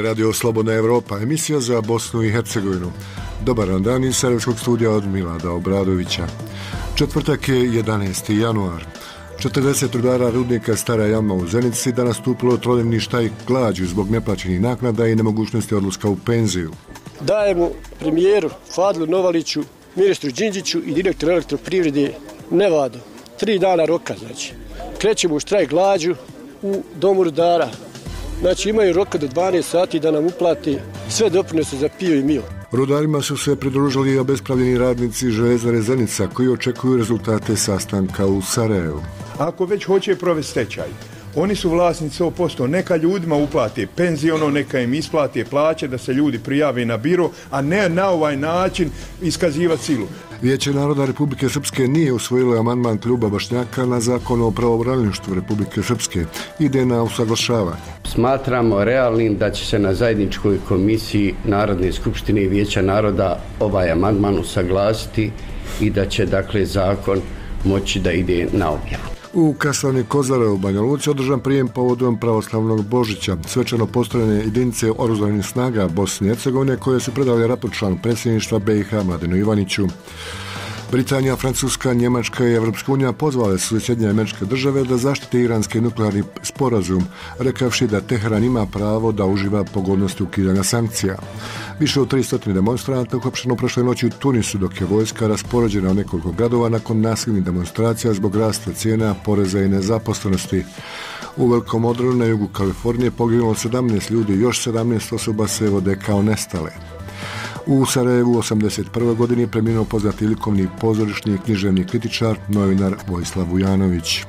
Radio Slobodna Evropa, emisija za Bosnu i Hercegovinu. Dobar dan iz Sarajevskog studija od Milada Obradovića. Četvrtak je 11. januar. 40 rudara rudnika Stara Jama u Zenici danas stupilo trodnevni štrajk glađu zbog neplaćenih naknada i nemogućnosti odlaska u penziju. Dajemo premijeru Fadlu Novaliću, ministru Đinđiću i direktoru elektroprivrede Nevadu 3 dana roka, znači. Krećemo u štrajk glađu u domu rudara. Znači imaju roka do 12 sati da nam uplati sve doprinose za pio i mio. Rudarima su se pridružili i obespravljeni radnici Željezare Zenica koji očekuju rezultate sastanka u Sarajevu. Ako već hoće provesti stečaj, oni su vlasnici 100%, neka ljudima uplate penziono, neka im isplate plaće, da se ljudi prijave na biro, a ne na ovaj način iskazivati silu. Vijeće naroda Republike Srpske nije usvojilo amandman kluba Bošnjaka na zakon o pravobranilaštvu Republike Srpske. Ide na usaglašavanje. Smatramo realnim da će se na zajedničkoj komisiji Narodne skupštine i Vijeća naroda ovaj amandman usaglasiti i da će dakle zakon moći da ide na objavu. U kasarni Kozare u Banja Luci održan prijem povodom pravoslavnog Božića. Svečano postrojene jedinice oružanih snaga Bosne i Hercegovine koje su predali raport članu predsjedništva BiH Mladenu Ivaniću. Britanija, Francuska, Njemačka i Evropska unija pozvale su Sjedinjene Američke Države da zaštite iranski nuklearni sporazum, rekavši da Teheran ima pravo da uživa pogodnosti ukidanja sankcija. Više od 300 demonstranata uhapšeno prošle noći u Tunisu, dok je vojska raspoređena u nekoliko gradova nakon nasilnih demonstracija zbog rasta cijena, poreza i nezaposlenosti. U Velikom Odronu na jugu Kalifornije poginulo 17 ljudi, još 17 osoba se vode kao nestale. U Sarajevu u 1981. godini preminuo poznati likovni pozorišni i književni kritičar, novinar Vojislav Vujanović.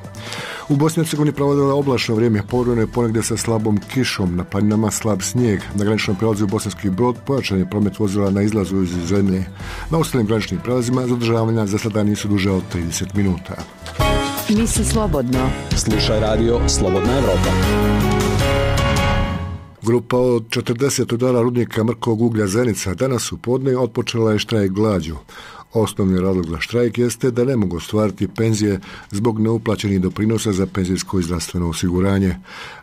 U Bosni i Hercegovini provodila oblačno vrijeme, povremeno je ponegdje sa slabom kišom, na planinama slab snijeg. Na graničnom prelazu Bosanski Brod pojačan je promet vozila na izlazu iz zemlje. Na ostalim graničnim prelazima zadržavanja za sada nisu duže od 30 minuta. Misli slobodno. Slušaj radio Slobodna Evropa. Grupa od 40 rudara rudnika mrkog uglja Zenica danas u podne otpočela je štrajk glađu. Osnovni razlog za štrajk jeste da ne mogu ostvariti penzije zbog neuplaćenih doprinosa za penzijsko i zdravstveno osiguranje.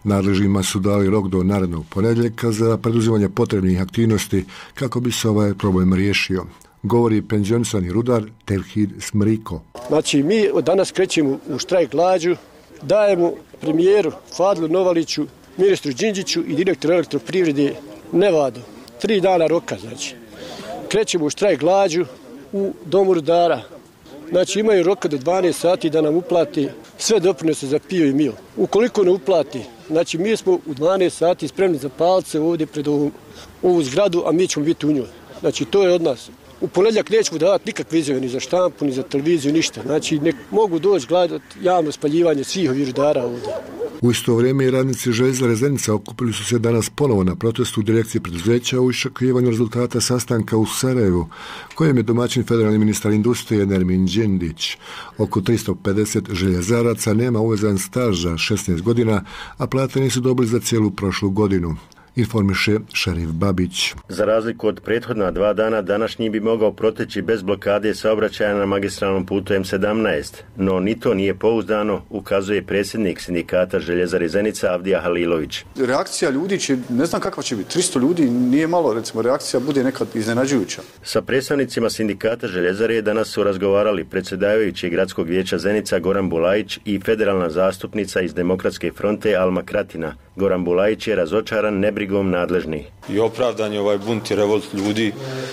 Nadležnima su dali rok do narednog ponedjeljka za preduzimanje potrebnih aktivnosti kako bi se ovaj problem riješio. Govori penzionisani rudar Tevhid Smriko. Znači mi od danas krećemo u štrajk glađu, dajemo premijeru Fadlu Novaliću, ministru Đinđiću i direktoru elektroprivrede Nevadu 3 dana roka, znači. Krećemo u štrajk glađu u domu rudara. Znači imaju roka do 12 sati da nam uplati sve doprinose za pio i mio. Ukoliko ne uplati, znači mi smo u 12 sati spremni za palce ovdje pred ovu zgradu, a mi ćemo biti u njoj. Znači to je od nas. U ponedjeljak nećemo davati nikakve izjave ni za štampu, ni za televiziju, ništa. Znači ne mogu doći gledati javno spaljivanje svih ovih rudara ovdje. U isto vrijeme i radnici Željezare Zenica okupili su se danas ponovo na protestu u direkciji preduzeća u iščekivanju rezultata sastanka u Sarajevu, kojem je domaćin federalni ministar industrije Nermin Đindić. Oko 350 željezaraca nema uvezan staž za 16 godina, a plate nisu dobili za cijelu prošlu godinu. Informiše Šerif Babić. Za razliku od prethodna 2 dana, današnji bi mogao proteći bez blokade saobraćaja na magistralnom putu M17, no ni to nije pouzdano, ukazuje predsjednik sindikata Željezare Zenica Avdija Halilović. Reakcija ljudi će, ne znam kakva će biti, 300 ljudi nije malo, recimo reakcija bude nekad iznenađujuća. Sa predstavnicima sindikata Željezare danas su razgovarali predsjedavajući gradskog vijeća Zenica Goran Bulajić i federalna zastupnica iz Demokratske fronte Alma Kratina. Goran Bulajić je razočaran nebrigom nadležnih. I opravdan je ovaj bunt i revolt ljudi,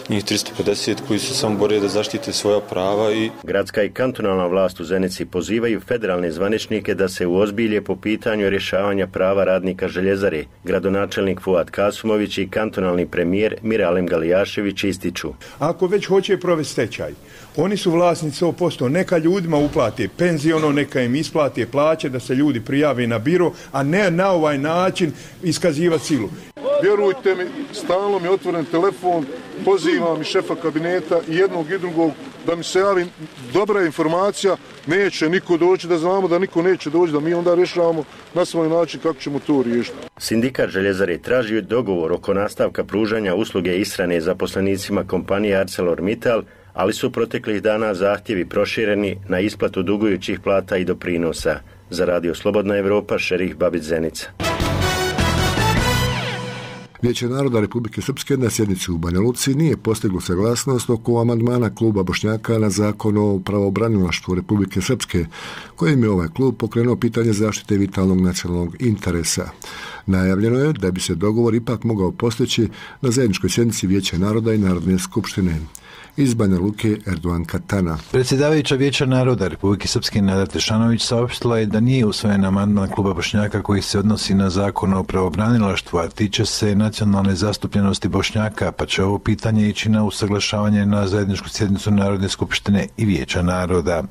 njih 350 koji se samo bore da zaštite svoja prava. Gradska i kantonalna vlast u Zenici pozivaju federalne zvaničnike da se uozbilje po pitanju rješavanja prava radnika Željezare. Gradonačelnik Fuad Kasumović i kantonalni premijer Miralem Galijašević ističu. Ako već hoće provesti stečaj, oni su vlasnici 100%, neka ljudima uplate penziono, neka im isplate plaće, da se ljudi prijave na biro, a ne na ovaj način iskazivati silu. Vjerujte mi, stalno mi je otvoren telefon, pozivam i šefa kabineta i jednog i drugog da mi se javi dobra informacija, neće niko doći, da znamo da niko neće doći, da mi onda rješavamo na svoj način kako ćemo to riješiti. Sindikat Željezare traži dogovor oko nastavka pružanja usluge ishrane zaposlenicima kompanije ArcelorMittal, ali su proteklih dana zahtjevi prošireni na isplatu dugujućih plata i doprinosa. Za Radio Slobodna Evropa, Šerif Babić Zenica. Vijeće naroda Republike Srpske na sjednici u Banja Luci nije postiglo saglasnost oko amandmana kluba Bošnjaka na zakon o pravobranilaštvu Republike Srpske, kojim je ovaj klub pokrenuo pitanje zaštite vitalnog nacionalnog interesa. Najavljeno je da bi se dogovor ipak mogao postići na zajedničkoj sjednici Vijeća naroda i Narodne skupštine. Iz Banja Luke, Erdogan Katana. Predsjedavajuća Vijeća naroda Republike Srpske Nada Tešanović saopštila je da nije usvojen amandman kluba Bošnjaka koji se odnosi na zakon o pravobranilaštvu, a tiče se nacionalne zastupljenosti Bošnjaka, pa će ovo pitanje ići na usaglašavanje na zajedničku sjednicu Narodne skupštine i Vijeća naroda.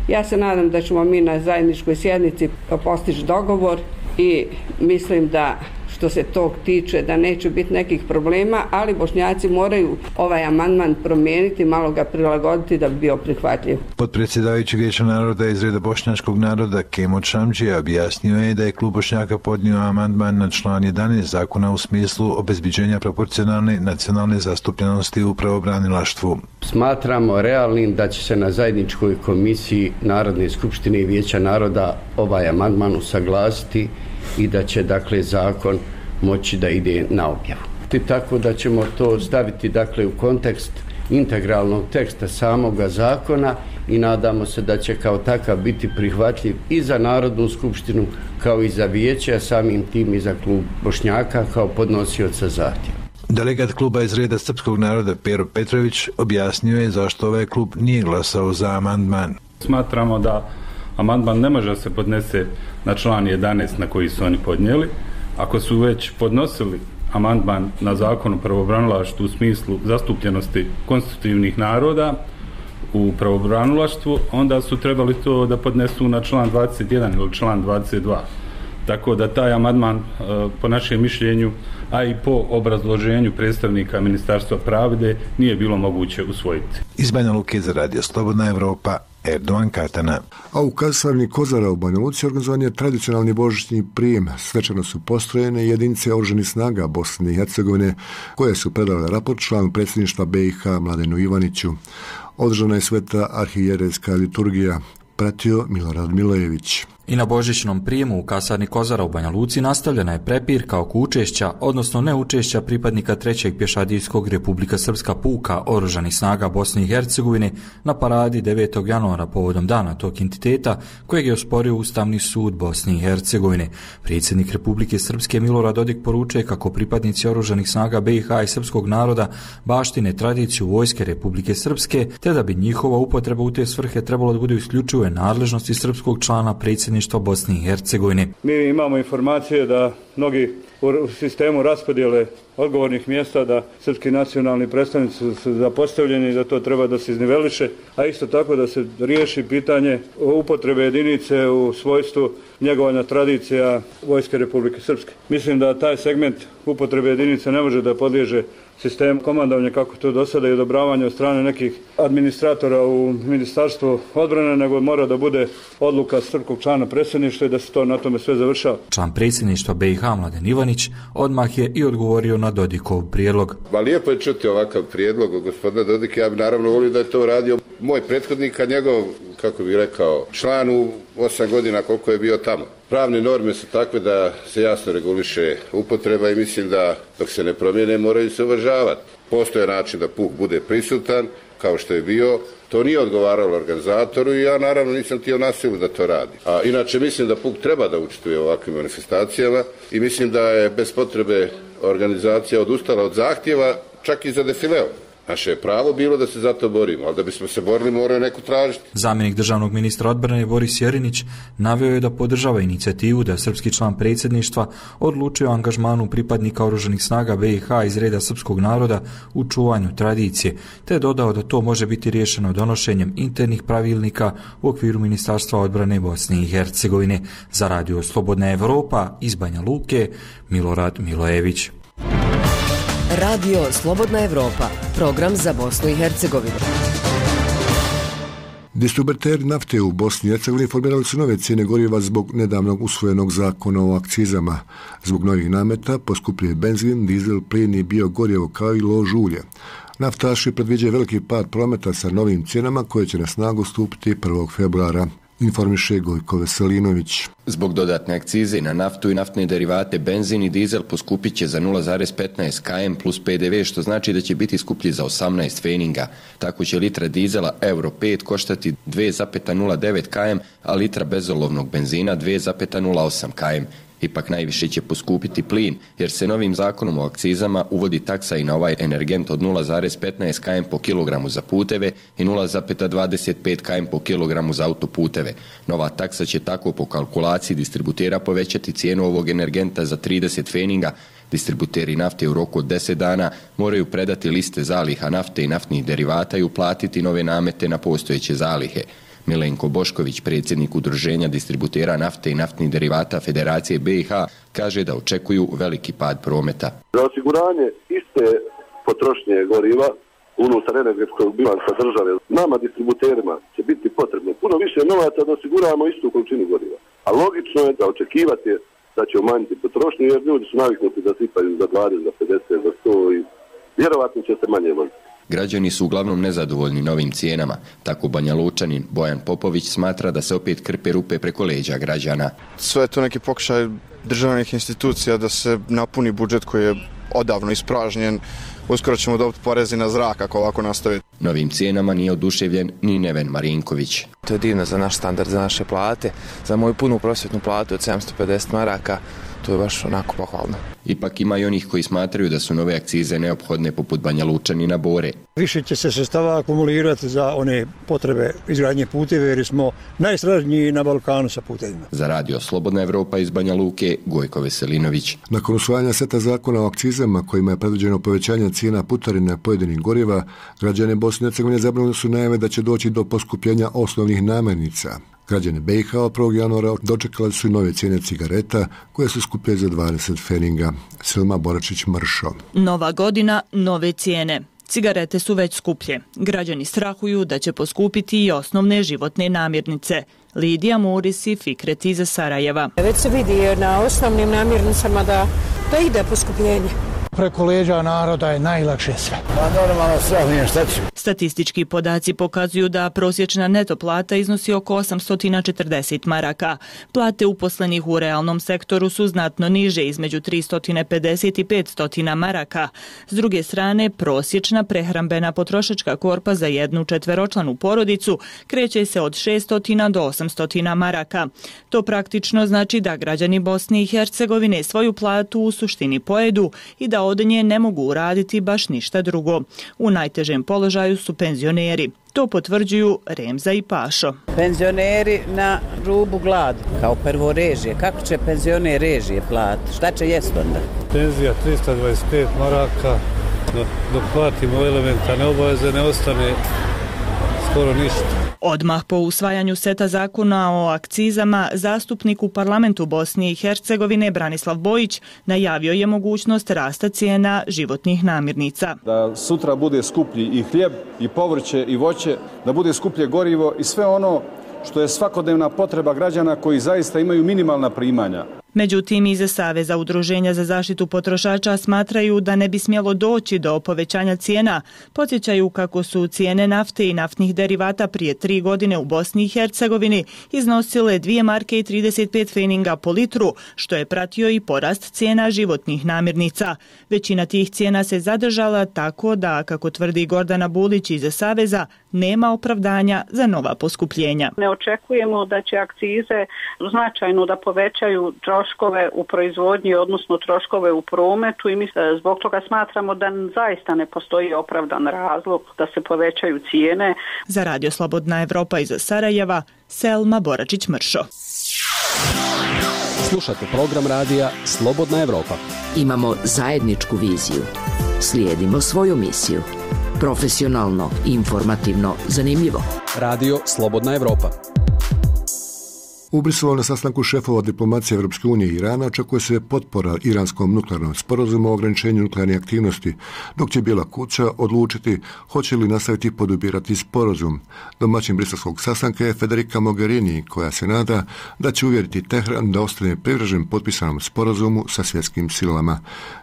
Ja se nadam da ćemo mi na zajedničkoj sjednici postići dogovor i mislim da što se tog tiče da neće biti nekih problema, ali Bošnjaci moraju ovaj amandman promijeniti, malo ga prilagoditi da bi bio prihvatljiv. Potpredsjedavajući Vijeća naroda iz reda bošnjačkog naroda Kemo Čamđija objasnio je da je klub Bošnjaka podnio amandman na član 11 zakona u smislu obezbiđenja proporcionalne nacionalne zastupljenosti u pravobranilaštvu. Smatramo realnim da će se na zajedničkoj komisiji Narodne skupštine i Vijeća naroda ovaj amandman usaglasiti i da će dakle zakon moći da ide na objavu. Tako da ćemo to staviti dakle u kontekst integralnog teksta samoga zakona i nadamo se da će kao takav biti prihvatljiv i za Narodnu skupštinu kao i za vijeće, a samim tim i za klub Bošnjaka kao podnosioca zahtjeva. Delegat kluba iz reda srpskog naroda Pero Petrović objasnio je zašto ovaj klub nije glasao za amandman. Smatramo da amandman ne može se podnese na član 11 na koji su oni podnijeli. Ako su već podnosili amandman na zakon o pravobranilaštvu u smislu zastupljenosti konstitutivnih naroda u pravobranilaštvu, onda su trebali to da podnesu na član 21 ili član 22. Tako da taj amandman po našem mišljenju, a i po obrazloženju predstavnika Ministarstva pravde nije bilo moguće usvojiti. Iz Banja Luke za Radio Slobodna Evropa, Erdogan Katana. A u kasarni Kozara u Banja Luci organizovan je tradicionalni božićni prijem. Svečano su postrojene jedinice oružanih snaga Bosne i Hercegovine koje su predale raport članu predsjedništva BiH Mladenu Ivaniću. Održana je sveta arhijerejska liturgija. Pratio Milorad Milojević. I na božićnom prijemu u kasarni Kozara u Banja Luci nastavljena je prepirka oko učešća, odnosno neučešća pripadnika 3. pješadijskog Republika Srpska puka oružanih snaga Bosne i Hercegovine na paradi 9. januara povodom dana tog entiteta kojeg je osporio Ustavni sud Bosne i Hercegovine. Predsjednik Republike Srpske Milorad Dodik poručuje kako pripadnici oružanih snaga BiH i srpskog naroda baštine tradiciju vojske Republike Srpske, te da bi njihova upotreba u te svrhe trebalo da bude isključivo nadležnosti srpskog člana predsjedništva Bosne i Hercegovine. Mi imamo informacije da mnogi u sistemu raspodjele odgovornih mjesta da srpski nacionalni predstavnici su zapostavljeni i da to treba da se izniveliše, a isto tako da se riješi pitanje upotrebe jedinice u svojstvu njegovanja tradicija Vojske Republike Srpske. Mislim da taj segment upotrebe jedinice ne može da podliježe sistem komandovanja kako to do sada i odobravanje od strane nekih administratora u Ministarstvu odbrane, nego mora da bude odluka srpskog člana predsjedništva i da se to na tome sve završava. Član predsjedništva BiH Mladen Ivanić odmah je i odgovorio na Dodikov prijedlog. Lijepo je čuti ovakav prijedlog od gospodina Dodika. Ja bi naravno volio da je to radio moj prethodnik, a njegov, kako bih rekao, član u 8 godina koliko je bio tamo. Pravne norme su takve da se jasno reguliše upotreba i mislim da dok se ne promijene moraju se uvažavati. Postoje način da puk bude prisutan kao što je bio. To nije odgovaralo organizatoru i ja naravno nisam htio na silu da to radi. A inače mislim da puk treba da učestvuje u ovakvim manifestacijama i mislim da je bez potrebe organizacija odustala od zahtjeva čak i za defileo. Naše je pravo bilo da se za to borimo, ali da bismo se borili moraju neku tražiti. Zamjenik državnog ministra odbrane Boris Jerinić naveo je da podržava inicijativu da srpski član predsjedništva odlučuje o angažmanu pripadnika oružanih snaga BiH iz reda srpskog naroda u čuvanju tradicije, te dodao da to može biti riješeno donošenjem internih pravilnika u okviru Ministarstva odbrane Bosne i Hercegovine. Za Radio Slobodna Evropa iz Banja Luke, Milorad Milojević. Radio Slobodna Evropa, program za Bosnu i Hercegovinu. Distributeri nafte u Bosni i Hercegovini formirali su nove cijene goriva zbog nedavnog usvojenog zakona o akcizama. Zbog novih nameta poskupljuje benzin, dizel, plin i biogorijevo kao i lož ulje. Naftaši predviđaju veliki pad prometa sa novim cijenama koje će na snagu stupiti 1. februara. informiše Gojko Veselinović. Zbog dodatne akcize na naftu i naftne derivate, benzin i dizel poskupit će za 0,15 km plus PDV, što znači da će biti skuplji za 18 feninga. Tako će litra dizela Euro 5 koštati 2,09 km, a litra bezolovnog benzina 2,08 km. Ipak najviše će poskupiti plin, jer se novim zakonom o akcizama uvodi taksa i na ovaj energent od 0,15 km po kilogramu za puteve i 0,25 km po kilogramu za autoputeve. Nova taksa će tako po kalkulaciji distributera povećati cijenu ovog energenta za 30 feninga. Distributeri nafte u roku od 10 dana moraju predati liste zaliha nafte i naftnih derivata i uplatiti nove namete na postojeće zalihe. Milenko Bošković, predsjednik Udruženja distributera nafte i naftnih derivata Federacije BiH, kaže da očekuju veliki pad prometa. Za osiguranje iste potrošnje goriva unutar energetskog bilansa države, nama distributerima će biti potrebno puno više novaca da osiguramo istu količinu goriva. A logično je da očekivati da će umanjiti potrošnju, jer ljudi su naviknuti da sipaju za 20, za 50, za 100 i vjerovatno će se manje voziti. Građani su uglavnom nezadovoljni novim cijenama. Tako Banja Lučanin Bojan Popović smatra da se opet krpe rupe preko leđa građana. Sve je to neki pokušaj državnih institucija da se napuni budžet koji je odavno ispražnjen. Uskoro ćemo dobiti porezi na zrak ako ovako nastavi. Novim cijenama nije oduševljen ni Neven Marinković. To je divno za naš standard, za naše plate. Za moju punu prosvjetnu platu od 750 maraka. To je baš onako pohvalno. Ipak ima i onih koji smatraju da su nove akcize neophodne poput Banja Lučanina Bore. Više će se sredstava akumulirati za one potrebe izgradnje puteva jer smo najsnažniji na Balkanu sa putevima. Za radio Slobodna Evropa iz Banja Luke, Gojko Veselinović. Nakon usvajanja seta zakona o akcizama kojima je predviđeno povećanje cijena putarina pojedinih goriva, građani Bosne i Hercegovine zabrinuli su najave da će doći do poskupljenja osnovnih namirnica. Građani BiH od 1. januara dočekali su i nove cijene cigareta koje su skuplje za 20 feninga. Selma Boračić-Mršo. Nova godina, nove cijene. Cigarete su već skuplje. Građani strahuju da će poskupiti i osnovne životne namirnice. Lidija Muris i Fikret iz Sarajeva. Već se vidi na osnovnim namirnicama da ide poskupljenje. Preko leđa naroda je najlakše sve. Normalno sve, šta ću? Statistički podaci pokazuju da prosječna neto plata iznosi oko 840 maraka. Plate uposlenih u realnom sektoru su znatno niže, između 350 i 500 maraka. S druge strane, prosječna prehrambena potrošačka korpa za jednu četveročlanu porodicu kreće se od 600 do 800 maraka. To praktično znači da građani Bosne i Hercegovine svoju platu u suštini pojedu i da od nje ne mogu uraditi baš ništa drugo. U najtežem položaju su penzioneri. To potvrđuju Remza i Pašo. Penzioneri na rubu gladu, kao prvo režije. Kako će penzioner režije platiti? Šta će jest onda? Penzija 325 maraka, dok platimo elementarne obaveze ne ostane skoro ništa. Odmah po usvajanju seta zakona o akcizama, zastupnik u parlamentu Bosne i Hercegovine Branislav Bojić najavio je mogućnost rasta cijena životnih namirnica. Da sutra bude skuplji i hljeb, i povrće, i voće, da bude skuplje gorivo i sve ono što je svakodnevna potreba građana koji zaista imaju minimalna primanja. Međutim, iz Saveza udruženja za zaštitu potrošača smatraju da ne bi smjelo doći do povećanja cijena. Podsjećaju kako su cijene nafte i naftnih derivata prije 3 godine u Bosni i Hercegovini iznosile 2 marke i 35 feninga po litru, što je pratio i porast cijena životnih namirnica. Većina tih cijena se zadržala tako da, kako tvrdi Gordana Bulić iz Saveza, nema opravdanja za nova poskupljenja. Ne očekujemo da će akcize značajno da povećaju troškove u proizvodnji, odnosno troškove u prometu i mi zbog toga smatramo da zaista ne postoji opravdan razlog da se povećaju cijene. Za radio Slobodna Evropa iz Sarajeva, Selma Boračić-Mršo. Slušate program radija Slobodna Evropa. Imamo zajedničku viziju. Slijedimo svoju misiju. Profesionalno, informativno, zanimljivo. Radio Slobodna Evropa. U Briselu na sastanku šefova diplomacije Evropske unije i Irana očekuje se potpora iranskom nuklearnom sporazumu o ograničenju nuklearne aktivnosti, dok će Bijela kuća odlučiti hoće li nastaviti podupirati sporazum. Domaćin briselskog sastanka je Federica Mogherini, koja se nada da će uvjeriti Tehran da ostane privržen potpisanom sporazumu sa svjetskim silama.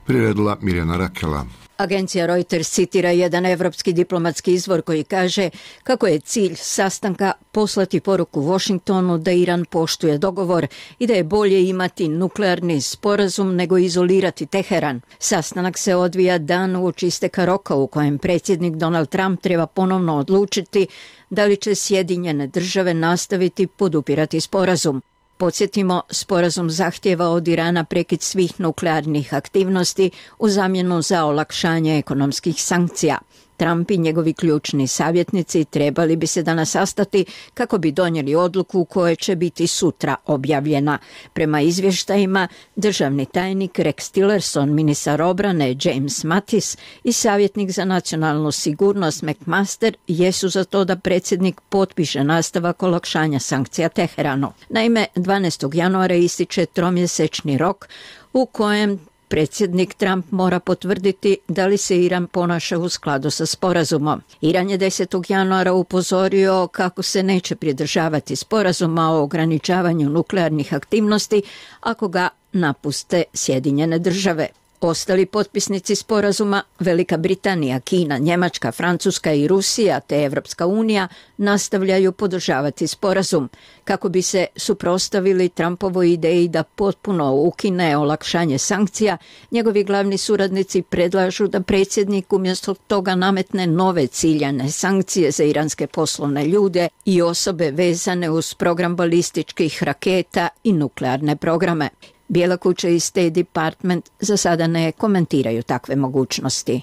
Priredila Mirjana Rakela. Agencija Reuters citira jedan evropski diplomatski izvor koji kaže kako je cilj sastanka poslati poruku Washingtonu da Iran poštuje dogovor i da je bolje imati nuklearni sporazum nego izolirati Teheran. Sastanak se odvija dan uoči isteka roka u kojem predsjednik Donald Trump treba ponovno odlučiti da li će Sjedinjene države nastaviti podupirati sporazum. Podsjetimo, sporazum zahtjeva od Irana prekid svih nuklearnih aktivnosti u zamjenu za olakšanje ekonomskih sankcija. Trump i njegovi ključni savjetnici trebali bi se danas sastati kako bi donijeli odluku koja će biti sutra objavljena. Prema izvještajima, državni tajnik Rex Tillerson, ministar obrane James Mattis i savjetnik za nacionalnu sigurnost McMaster jesu za to da predsjednik potpiše nastavak olakšanja sankcija Teheranu. Naime, 12. januara ističe tromjesečni rok u kojem predsjednik Trump mora potvrditi da li se Iran ponaša u skladu sa sporazumom. Iran je 10. januara upozorio kako se neće pridržavati sporazuma o ograničavanju nuklearnih aktivnosti ako ga napuste Sjedinjene države. Ostali potpisnici sporazuma, Velika Britanija, Kina, Njemačka, Francuska i Rusija te Evropska unija nastavljaju podržavati sporazum kako bi se suprotstavili Trumpovoj ideji da potpuno ukine olakšanje sankcija. Njegovi glavni suradnici predlažu da predsjednik umjesto toga nametne nove ciljane sankcije za iranske poslovne ljude i osobe vezane uz program balističkih raketa i nuklearne programe. Bijela kuća i State Department za sada ne komentiraju takve mogućnosti.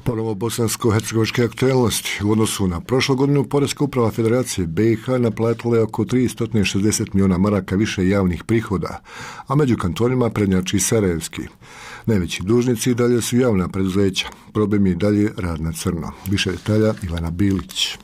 Ponovo bosansko-hercegovačke aktualnosti. U odnosu na prošlu godinu, Poreska uprava Federacije BiH naplatila je oko 360 milijuna maraka više javnih prihoda, a među kantonima prednjači Sarajevski. Najveći dužnici i dalje su javna preduzeća. Problem je i dalje rad na crno. Više detalja Ivana Bilić.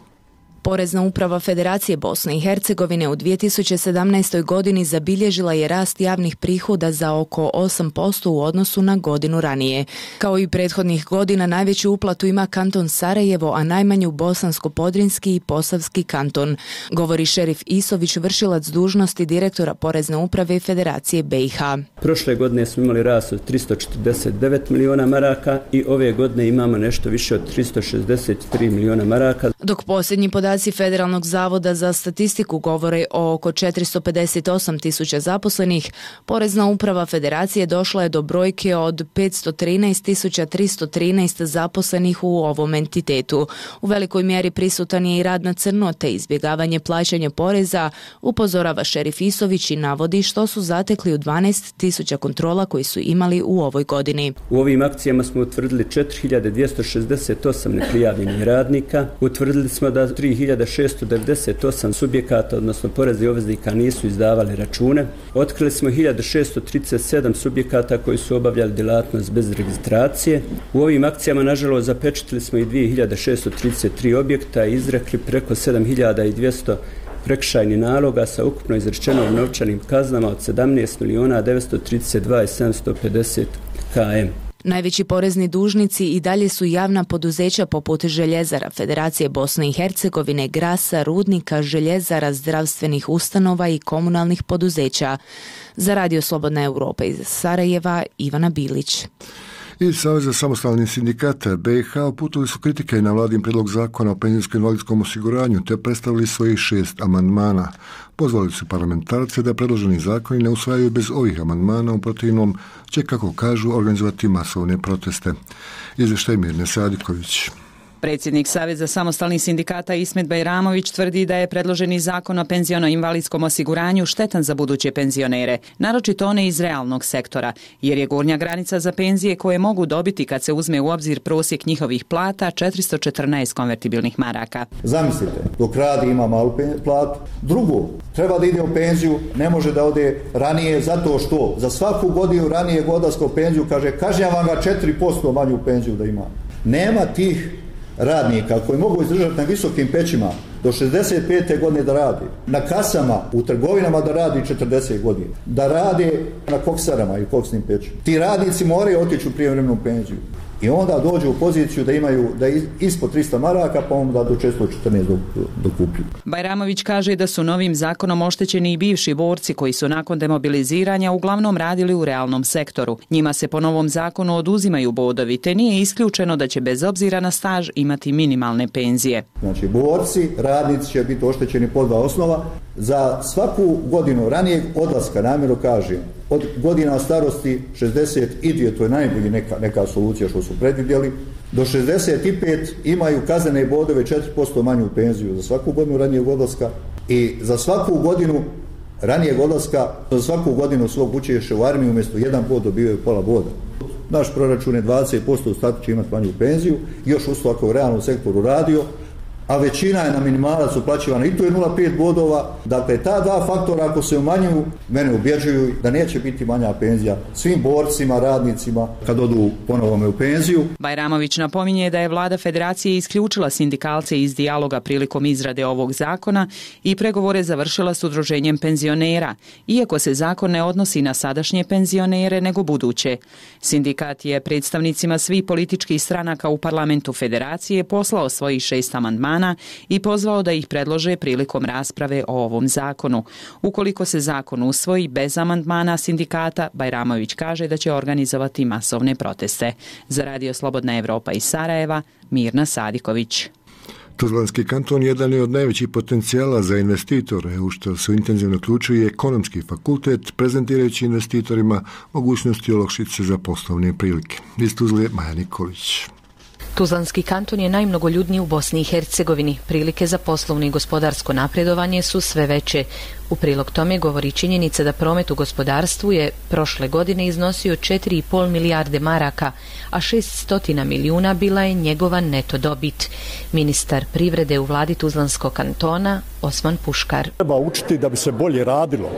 Porezna uprava Federacije Bosne i Hercegovine u 2017. godini zabilježila je rast javnih prihoda za oko 8% u odnosu na godinu ranije. Kao i prethodnih godina, najveću uplatu ima kanton Sarajevo, a najmanju Bosansko-Podrinski i Posavski kanton, govori Šerif Isović, vršilac dužnosti direktora Porezne uprave Federacije BiH. Prošle godine smo imali rast od 349 milijuna maraka i ove godine imamo nešto više od 363 milijuna maraka. Dok posljednji podaci Federalnog zavoda za statistiku govore o oko 458 tisuća zaposlenih, Porezna uprava Federacije došla je do brojke od 513.313 zaposlenih u ovom entitetu. U velikoj mjeri prisutan je i rad na crno te izbjegavanje plaćanja poreza, upozorava Šerif Isović i navodi što su zatekli u 12.000 kontrola koji su imali u ovoj godini. U ovim akcijama smo utvrdili 4.268 neprijavljenih radnika, utvrdili smo da 3.698 subjekata, odnosno poreznih obveznika, nisu izdavali račune. Otkrili smo 1.637 subjekata koji su obavljali djelatnost bez registracije. U ovim akcijama, nažalost, zapečatili smo i 2.633 objekta i izrekli preko 7.200 prekršajnih naloga sa ukupno izrečenom novčanim kaznama od 17.932.750 km. Najveći porezni dužnici i dalje su javna poduzeća poput Željezara Federacije Bosne i Hercegovine, Grasa, Rudnika, Željezara, zdravstvenih ustanova i komunalnih poduzeća. Za Radio Slobodna Europa iz Sarajeva, Ivana Bilić. Iz Saveza samostalnih sindikata BiH uputili su kritike na vladin prijedlog zakona o penzijsko-invalidskom osiguranju te predstavili svojih 6 amandmana. Pozvali su parlamentarce da predloženi zakoni ne usvajaju bez ovih amandmana, u protivnom će, kako kažu, organizovati masovne proteste. Izvještaj Mirne Sadiković. Predsjednik Saveza samostalnih sindikata Ismet Bajramović tvrdi da je predloženi zakon o penziono-invalidskom osiguranju štetan za buduće penzionere, naročito one iz realnog sektora, jer je gornja granica za penzije koje mogu dobiti kad se uzme u obzir prosjek njihovih plata 414 konvertibilnih maraka. Zamislite, dok radi ima malu platu. Drugo, treba da ide u penziju, ne može da ode ranije zato što za svaku godinu ranije godarsku penziju kažnjavam ga 4% manju penziju da ima. Nema tih radnika koji mogu izdržati na visokim pećima do 65. godine da radi, na kasama, u trgovinama da radi 40 godina, da rade na koksarama i koksnim pećima. Ti radnici moraju otići u prijevremenu penziju. i onda dođu u poziciju da imaju da ispod 300 maraka pa onda do 414 dokuplju. Bajramović kaže da su novim zakonom oštećeni i bivši borci koji su nakon demobiliziranja uglavnom radili u realnom sektoru. Njima se po novom zakonu oduzimaju bodovi, te nije isključeno da će bez obzira na staž imati minimalne penzije. Znači, borci, radnici će biti oštećeni po 2 osnova. Za svaku godinu ranijeg odlaska, namjerno kažem, od godina starosti 62, to je najbolji neka solucija što su predvidjeli, do 65 imaju kaznene bodove 4% manju penziju za svaku godinu ranijeg odlaska i za svaku godinu ranijeg odlaska, za svaku godinu svog učešća u armiju umjesto 1 bod dobivaju pola boda. Naš proračun je 20%, ostatak će imati manju penziju, još usto ako u realnom sektoru radio, a većina je na minimalac uplaćivana i to je 0,5 bodova. Dakle, ta dva faktora ako se umanjuju, mene ubjeđuju da neće biti manja penzija svim borcima, radnicima kad odu ponovno u penziju. Bajramović napominje da je vlada federacije isključila sindikalce iz dijaloga prilikom izrade ovog zakona i pregovore završila s udruženjem penzionera, iako se zakon ne odnosi na sadašnje penzionere nego buduće. Sindikat je predstavnicima svih političkih stranaka u parlamentu federacije poslao svojih 6 amandmana i pozvao da ih predlože prilikom rasprave o ovom zakonu. Ukoliko se zakon usvoji bez amandmana sindikata, Bajramović kaže da će organizovati masovne proteste. Za Radio Slobodna Evropa iz Sarajeva, Mirna Sadiković. Tuzlanski kanton jedan je od najvećih potencijala za investitore, u što se intenzivno uključuje ekonomski fakultet, prezentirajući investitorima mogućnosti olakšice za poslovne prilike. Iz Tuzle, Maja Nikolić. Tuzlanski kanton je najmnogoljudniji u Bosni i Hercegovini. Prilike za poslovno i gospodarsko napredovanje su sve veće. U prilog tome govori činjenica da promet u gospodarstvu je prošle godine iznosio 4,5 milijarde maraka, a 600 milijuna bila je njegova neto dobit. Ministar privrede u vladi Tuzlanskog kantona, Osman Puškar. Treba učiti da bi se bolje radilo,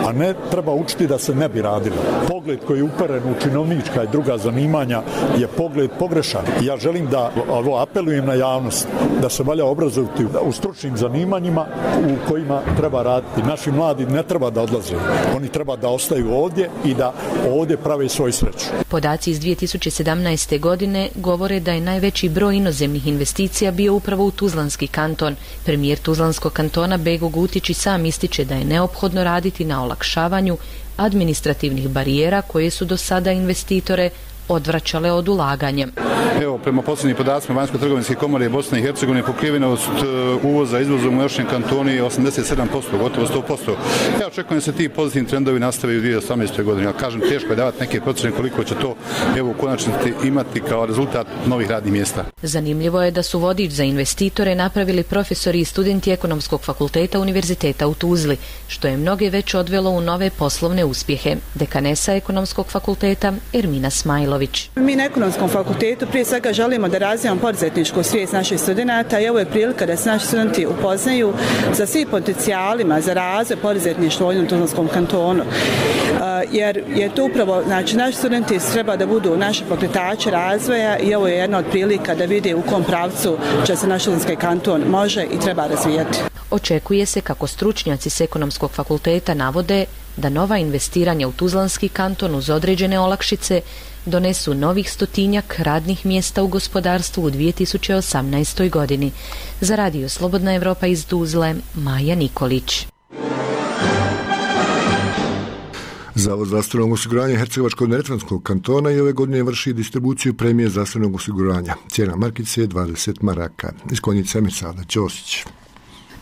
a ne treba učiti da se ne bi radilo. Pogled koji je uperen u činovnička i druga zanimanja je pogled pogrešan. Ja želim da apelujem na javnost da se valja obrazovati u stručnim zanimanjima u kojima treba raditi. Naši mladi ne treba da odlaze, oni treba da ostaju ovdje i da ovdje prave svoju sreću. Podaci iz 2017. godine govore da je najveći broj inozemnih investicija bio upravo u Tuzlanski kanton. Premijer Tuzlanskog kantona Bego Gutić i sam ističe da je neophodno raditi na olakšavanju administrativnih barijera koje su do sada investitore odvraćale od ulaganja. Evo, prema posljednjim podacima Vanjsko-trgovinske komore Bosne i Hercegovine pokrivenost uvoza izvozom u našem kantonu je 87%, gotovo 100%. Ja očekujem da se ti pozitivni trendovi nastave u 2018. godini. Ja kažem, teško je davati neke procjene koliko će to u konačnici imati kao rezultat novih radnih mjesta. Zanimljivo je da su vodič za investitore napravili profesori i studenti Ekonomskog fakulteta Univerziteta u Tuzli, što je mnoge već odvelo u nove poslovne uspjehe. Dekanesa Ekonomskog fakulteta Ermina Smajlo. Mi na Ekonomskom fakultetu prije svega želimo da razvijamo poduzetničku svijest naših studenata i ovo je prilika da se naši studenti upoznaju sa svim potencijalima za razvoj poduzetništva u ovom Tuzlanskom kantonu. Jer je to upravo, znači naši studenti treba da budu naši pokretači razvoja i ovo je jedna od prilika da vide u kom pravcu će se naš Tuzlanski kanton može i treba razvijati. Očekuje se, kako stručnjaci s Ekonomskog fakulteta navode, da nova investiranja u Tuzlanski kanton uz određene olakšice donesu novih 100 radnih mjesta u gospodarstvu u 2018. godini. Za Radio Slobodna Evropa iz Tuzle, Maja Nikolić. Zavod zdravstvenog osiguranja Hercegovačko-neretvanskog kantona i ove godine vrši distribuciju premije zdravstvenog osiguranja. Cijena markice je 20 maraka. Iz Konjica Mirsada Ćosić.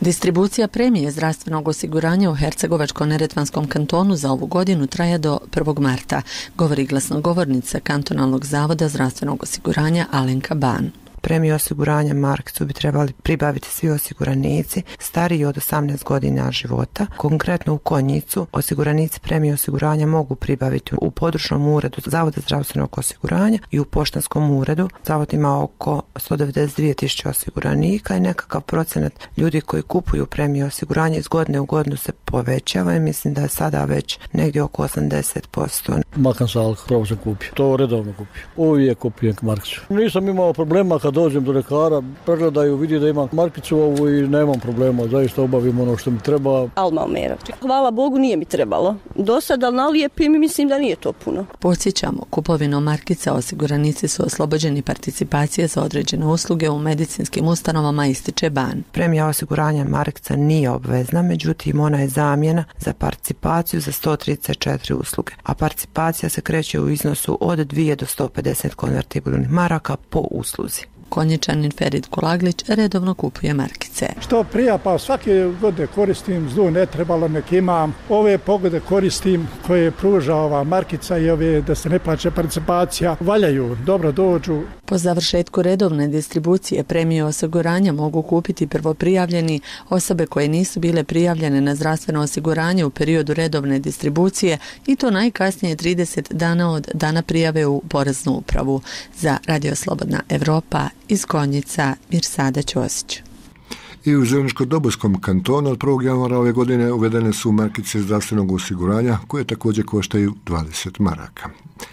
Distribucija premije zdravstvenog osiguranja u Hercegovačko-neretvanskom kantonu za ovu godinu traje do 1. marta, govori glasnogovornica Kantonalnog zavoda zdravstvenog osiguranja Alenka Ban. Premiju osiguranja markicu bi trebali pribaviti svi osiguranici stariji od 18 godina života. Konkretno u Konjicu osiguranici premije osiguranja mogu pribaviti u područnom uredu Zavoda zdravstvenog osiguranja i u poštanskom uredu. Zavod ima oko 192.000 osiguranika i nekakav procenat ljudi koji kupuju premiju osiguranja iz godine u godinu se povećava i mislim da je sada već negdje oko 80%. Makan salk, pravo sam kupio. To redovno kupio. Uvijek kupujem markicu. Nisam imao problema kad kad dođem do lekara, pregledaju, vidi da imam markicu ovu i nemam problema, zaista obavim ono što mi treba. Alma Omera. Hvala Bogu nije mi trebalo. Do sada na lijepi mi mislim da nije to puno. Podsjećamo, kupovinom markica osiguranici su oslobođeni participacije za određene usluge u medicinskim ustanovama, ističe Ban. Premija osiguranja markica nije obvezna, međutim ona je zamjena za participaciju za 134 usluge, a participacija se kreće u iznosu od 2 do 150 konvertibilnih maraka po usluzi. Konjičanin Ferid Kulaglić redovno kupuje markice. Što prija, pa svake godine koristim, zlu ne trebalo nek imam. Ove pogode koristim koje pruža ova markica i ove da se ne plaća participacija. Valjaju, dobro dođu. Po završetku redovne distribucije premije osiguranja mogu kupiti prvoprijavljeni, osobe koje nisu bile prijavljene na zdravstveno osiguranje u periodu redovne distribucije i to najkasnije 30 dana od dana prijave u Poreznu upravu. Za Radio Slobodna Evropa iz Konjica, Mirsada Ćosić. I u Zeničko-Dobojskom kantonu od 1. januara ove godine uvedene su markice zdravstvenog osiguranja koje također koštaju 20 maraka.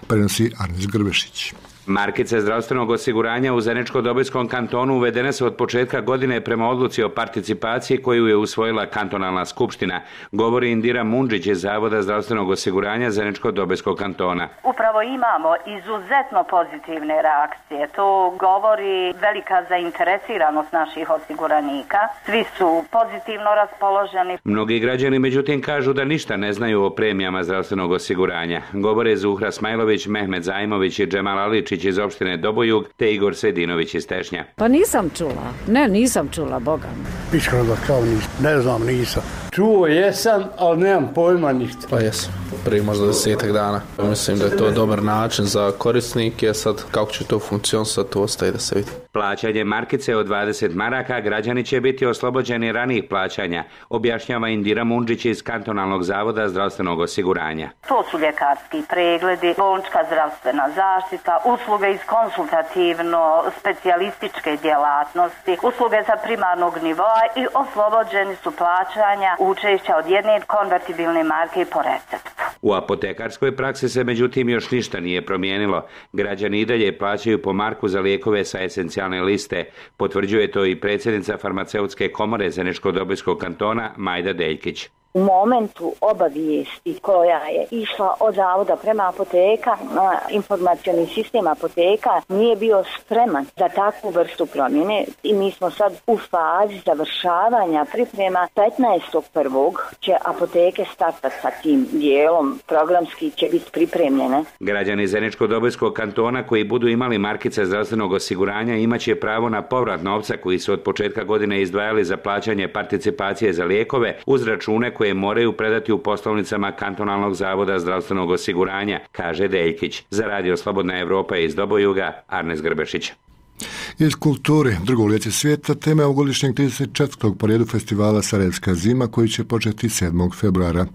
Prenosi Arnis Grbešić. Markice zdravstvenog osiguranja u Zeničko-Dobojskom kantonu uvedene su od početka godine prema odluci o participaciji koju je usvojila kantonalna skupština, govori Indira Mundžić iz Zavoda zdravstvenog osiguranja Zeničko-Dobojskog kantona. Upravo imamo izuzetno pozitivne reakcije. To govori velika zainteresiranost naših osiguranika. Svi su pozitivno raspoloženi. Mnogi građani međutim kažu da ništa ne znaju o premijama zdravstvenog osiguranja. Govore Zuhra Smajlović, Mehmet Zajmović i Džemal Aličić iz opštine Dobojug te Igor Sedinović iz Tešnja. Pa nisam čula. Nisam čula, Boga mi. Iskreno da kao nisam. Ne znam, nisam. Čuo jesam, ali nemam pojma ništa. Pa jesam. Prije možda 10 dana. Mislim da je to dobar način za korisnike. Sad kako će to funkcionisati, to ostaje da se vidi. Plaćanje markice od 20 maraka građani će biti oslobođeni ranijih plaćanja, objašnjava Indira Mundžić iz kantonalnog zavoda zdravstvenog osiguranja. To su ljekarski pregledi, bolnička zdravstvena zaštita, usluge iz konsultativno-specijalističke djelatnosti, usluge za primarnog nivoa i oslobođeni su plaćanja učešća od 1 konvertibilne marke po receptu. U apotekarskoj praksi se međutim još ništa nije promijenilo. Građani i dalje plaćaju po marku za lijekove sa esencijalne liste. Potvrđuje to i predsjednica farmaceutske komore Zeničko-Dobojskog kantona Majda Deljkić. U momentu obavijesti koja je išla od zavoda prema apoteka, informacioni sistem apoteka nije bio spreman za takvu vrstu promjene i mi smo sad u fazi završavanja priprema. 15.1. će apoteke startati sa tim dijelom, programski će biti pripremljene. Građani Zeničko-Dobojskog kantona koji budu imali markice zdravstvenog osiguranja imaće pravo na povrat novca koji su od početka godine izdvajali za plaćanje participacije za lijekove uz račune koje moraju predati u poslovnicama kantonalnog zavoda zdravstvenog osiguranja, kaže Deljkić. Za Radio Slobodna Evropa iz Dobojuga, Arnes Grbešić. Iz kulture, drugo lice svijeta, tema je ovogodišnjeg 34. po redu festivala Sarajevska zima koji će početi 7. februara.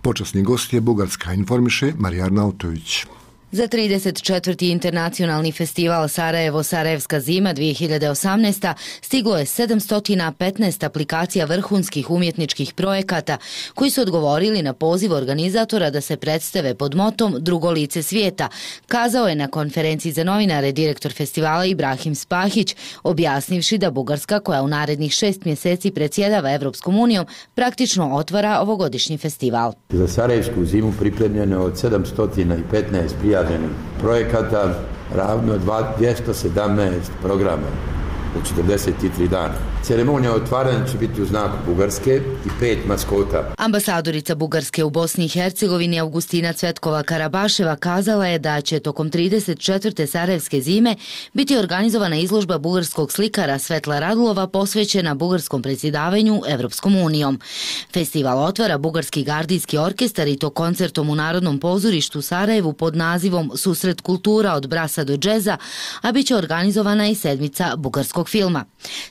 Počasni gost je Bugarska, informiše Marija Arnautović. Za 34. internacionalni festival Sarajevo Sarajevska zima 2018. stiglo je 715 aplikacija vrhunskih umjetničkih projekata koji su odgovorili na poziv organizatora da se predstave pod motom Drugo lice svijeta, kazao je na konferenciji za novinare direktor festivala Ibrahim Spahić, objasnivši da Bugarska, koja u narednih 6 mjeseci predsjedava Evropskom unijom, praktično otvara ovogodišnji festival. Za Sarajevsku zimu pripremljeno od 715 prijavljenih projekata, ravno 217 programa u 43 dana. Ceremonija otvaranja će biti u znaku Bugarske i 5 maskota. Ambasadorica Bugarske u Bosni i Hercegovini Augustina Cvetkova Karabaševa kazala je da će tokom 34. Sarajevske zime biti organizovana izložba bugarskog slikara Svetla Radulova posvećena bugarskom predsjedavanju Evropskom unijom. Festival otvara Bugarski gardijski orkestar i to koncertom u Narodnom pozorištu Sarajevu pod nazivom Susret kultura od brasa do džeza, a bit će organizovana i sedmica bugarskog filma.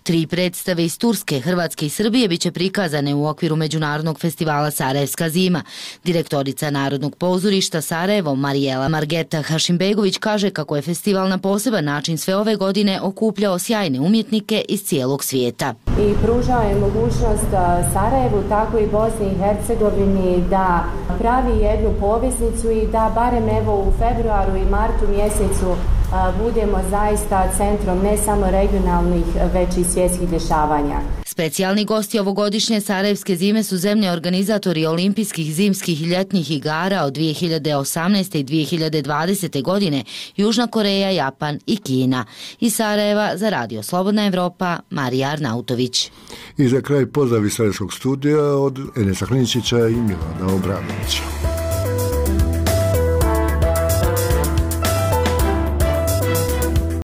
3 predstave iz Turske, Hrvatske i Srbije biće prikazane u okviru Međunarodnog festivala Sarajevska zima. Direktorica Narodnog pozorišta Sarajevo Marijela Margeta Hašimbegović kaže kako je festival na poseban način sve ove godine okupljao sjajne umjetnike iz cijelog svijeta. I pružao je mogućnost Sarajevu, tako i Bosni i Hercegovini da pravi jednu poveznicu i da barem evo u februaru i martu mjesecu budemo zaista centrom ne samo regionalnih, već i svjetskih dešavanja. Specijalni gosti ovogodišnje Sarajevske zime su zemlje organizatori olimpijskih, zimskih i ljetnih igara od 2018. i 2020. godine, Južna Koreja, Japan i Kina. Iz Sarajeva za Radio Slobodna Evropa, Marija Arnautović. I za kraj pozdrav iz Sarajevskog studija od Enesa Kliničića i Milana Obranovića.